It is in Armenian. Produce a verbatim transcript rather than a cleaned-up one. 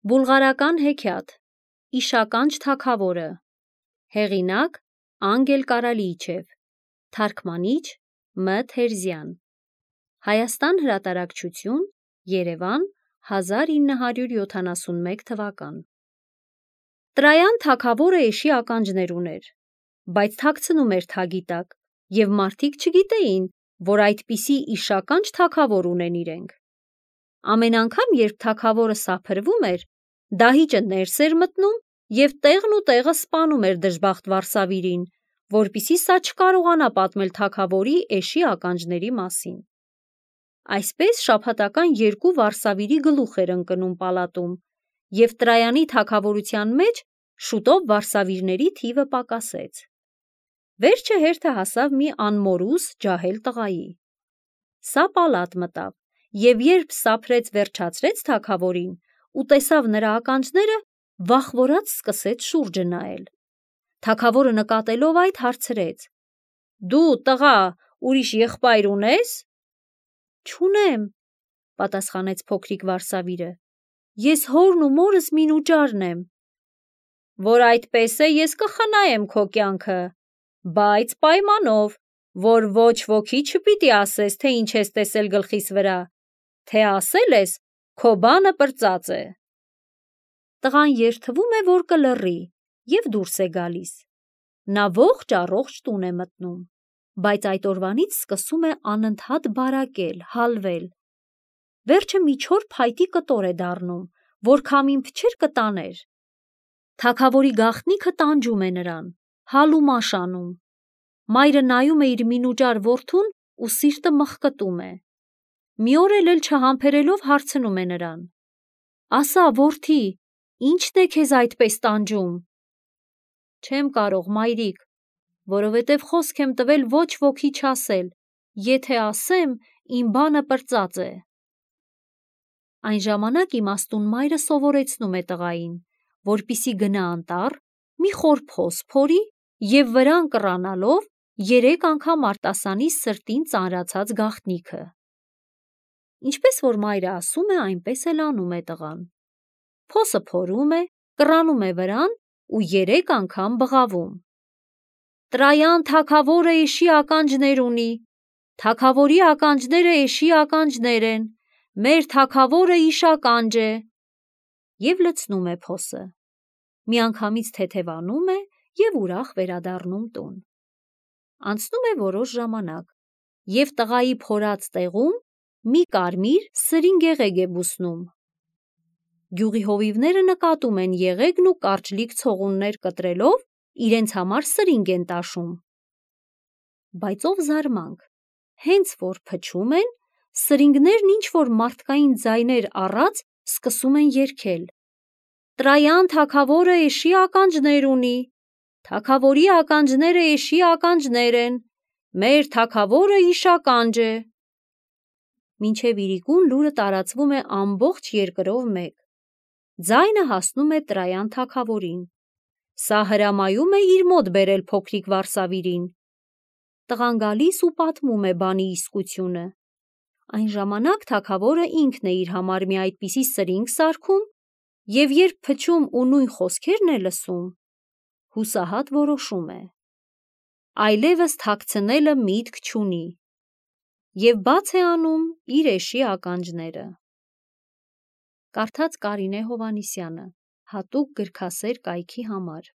Բուլղարական հեքիաթ Իշականջ թագավորը Հեղինակ Անգել Կարալիչև Թարգմանիչ Մ Թերզյան Հայաստան հրատարակչություն Երևան հազար ինը հարյուր յոթանասունմեկ թվական Տրայան թագավորը էշի ականջներ ուներ, բայց թաքցնում էր թագի տակ, և մարդիկ չգիտեին, որ այդպիսի իշականջ թագավոր ունեն իրենք։ Ամեն անգամ, երբ թագավորը սափրվում էր, դահիճը ներս էր մտնում և տեղն ու տեղը սպանում էր դժբախտ վարսավիրին, որպեսզի սա չկարողանա պատմել թագավորի էշի ականջների մասին։ Այսպես շաբաթական երկու վարսավիրի գլուխ էր ընկնում պալատում, և Տրայանի թագավորության մեջ շուտով վարսավիրների թիվը պակասեց։ Վերջը հերթը հասավ մի անմորուս ջահել տղայի։ Սա պալատ մտավ, և երբ սափրեց վերջացրեց թագավորին ու տեսավ նրա ականջները, վախվորած սկսեց շուրջը նայել։ Թագավորը նկատելով այդ, հարցրեց. «Դու, տղա, ուրիշ եղբայր ունե՞ս»։ «Չունեմ», պատասխանեց փոքրիկ վարսավիրը, «ես հորն ու մորս մինուճարն եմ»։ «Որ այդպես է, ես կխնայեմ քո կյանքը, բայց պայմանով, որ ոչ ոքի չպիտի ասես, թե ինչ ես տեսել գլխիս վրա, թե ասել ես, քո բանը պրծած է»։ Տղան երդվում է, որ կլռի, և դուրս է գալիս։ Նա ողջ-առողջ տուն է մտնում, բայց այդ օրվանից սկսում է անընդհատ բարակել, հալվել։ Վերջը մի չոր փայտի կտոր է դառնում, որ քամին փչեր կտաներ։ Թագավորի գաղտնիքը տանջում է նրան, հալումաշ անում։ Մայրը նայում է իր մինուճար որդուն ու սիրտը մխկտում է։ Մի օր էլ չհամբերելով հարցնում է նրան. «Ասա, որդի, ի՞նչն է քեզ այդպես տանջում»։ «Չեմ կարող, մայրիկ, որովհետև խոսք եմ տվել ոչ ոքի չասել, եթե ասեմ, իմ բանը պրծած է»։ Այն ժամանակ իմաստուն մայրը սովորեցնում է տղային, որպեսզի գնա անտառ, մի խոր փոս փորի և վրան կռանալով երեք անգամ արտասանի սրտին ծանրացած գաղտնիքը։ Ինչպես որ մայրը ասում է, այնպես էլ անում է տղան։ Փոսը փորում է, կռանում է վրան ու երեք անգամ բղավում. «Տրայան թագավորը էշի ականջներ ունի, թագավորի ականջները էշի ականջներ են, մեր թագավորը իշականջ է», և լցնում է փոսը։ Միանգամից թեթևանում է և ուրախ վերադառնում տուն։ Անցնում է որոշ ժամանակ, և տղայի փորած տեղում մի կարմիր սրին եղեգ է բուսնում։ Գյուղի հովիվները նկատում են եղեգն ու կարճլիկ ցողուններ կտրելով իրենց համար սրինգ են տաշում։ Բայց ով զարմանք, հենց որ փչում են, սրինգներն ինչ-որ մարդկային ձայներ առած սկսում են երգել. «Տրայան թագավորը էշի ականջներ ունի, թագավորի ականջները էշի ականջներ են, մեր թագավորը իշականջ է»։ Մինչև իրիկուն լուրը տարածվում է ամբողջ երկրով մեկ։ Ձայնը հասնում է Տրայան թագավորին։ Սա հրամայում է իր մոտ բերել փոքրիկ վարսավիրին։ Տղան գալիս ու պատմում է բանի իսկությունը։ Այն ժամանակ թագավորը ինքն է իր համար մի այդպիսի սրինգ սարքում, և երբ փչում ու նույն խոսքերն է լսում, հուսահատ որոշում է. այլևս թաքցնելը միտք չունի, և բաց է անում իր էշի ականջները։ Կարդաց Կարինե Հովհաննիսյանը, հատուկ գրքասեր կայքի համար։